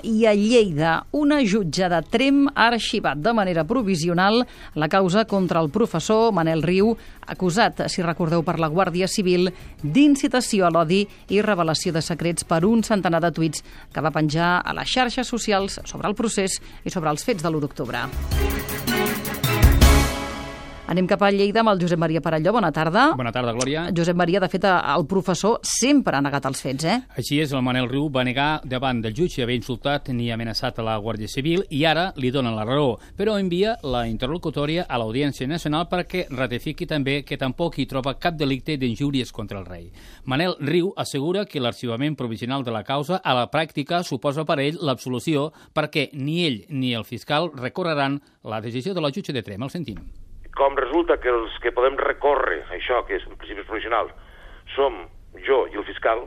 I a Lleida, una jutge de Tremp ha arxivat de manera provisional la causa contra el professor Manel Riu, acusat, si recordeu, per la Guàrdia Civil d'incitació a l'odi i revelació de secrets per un centenar de tuits que va penjar a les xarxes socials sobre el procés i sobre els fets de l'1 d'octubre. Anem cap a Lleida amb el Josep Maria Parelló. Bona tarda. Bona tarda, Glòria. Josep Maria, de fet, el professor sempre ha negat els fets, Així és, el Manel Riu va negar davant del jutge haver insultat ni amenaçat a la Guàrdia Civil i ara li donen la raó, però envia la interlocutòria a l'Audiència Nacional perquè ratifiqui també que tampoc hi troba cap delicte d'injúries contra el rei. Manel Riu assegura que l'arxivament provisional de la causa a la pràctica suposa per ell l'absolució perquè ni ell ni el fiscal recorreran la decisió de la jutge de Tremp. El sentim. Com resulta que els que podem recórrer això, que és en principi provisional, som jo i el fiscal,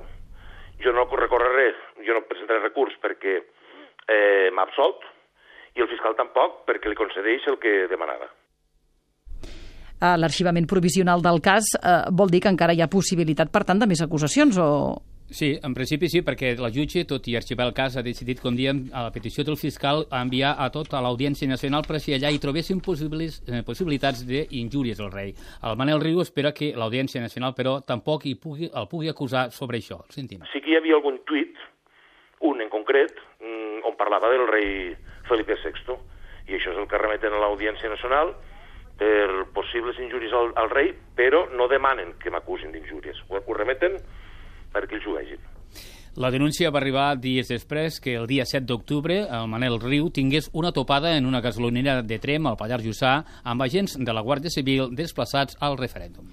jo no recorreré, jo no presentaré recurs perquè m'ha absolt, i el fiscal tampoc perquè li concedeix el que demanava. L'arxivament provisional del cas vol dir que encara hi ha possibilitat, per tant, de més acusacions, o...? Sí, en principi sí, perquè la jutge, tot i arxivar el cas, ha decidit, com diem, a la petició del fiscal, a enviar a tot a l'Audiència Nacional per si allà hi trobessin possibilitats d'injúries al rei. El Manel Riu espera que l'Audiència Nacional, però, tampoc el pugui acusar sobre això. El sentim. Sí que hi havia algun tuit, un en concret, on parlava del rei Felipe VI, i això és el que remeten a l'Audiència Nacional per possibles injúries al rei, però no demanen que m'acusin d'injúries. Ho remeten perquè ells ho vegin. La denúncia va arribar dies després que el dia 7 d'octubre el Manel Riu tingués una topada en una gasolinera de Tremp al Pallars Jussà amb agents de la Guàrdia Civil desplaçats al referèndum.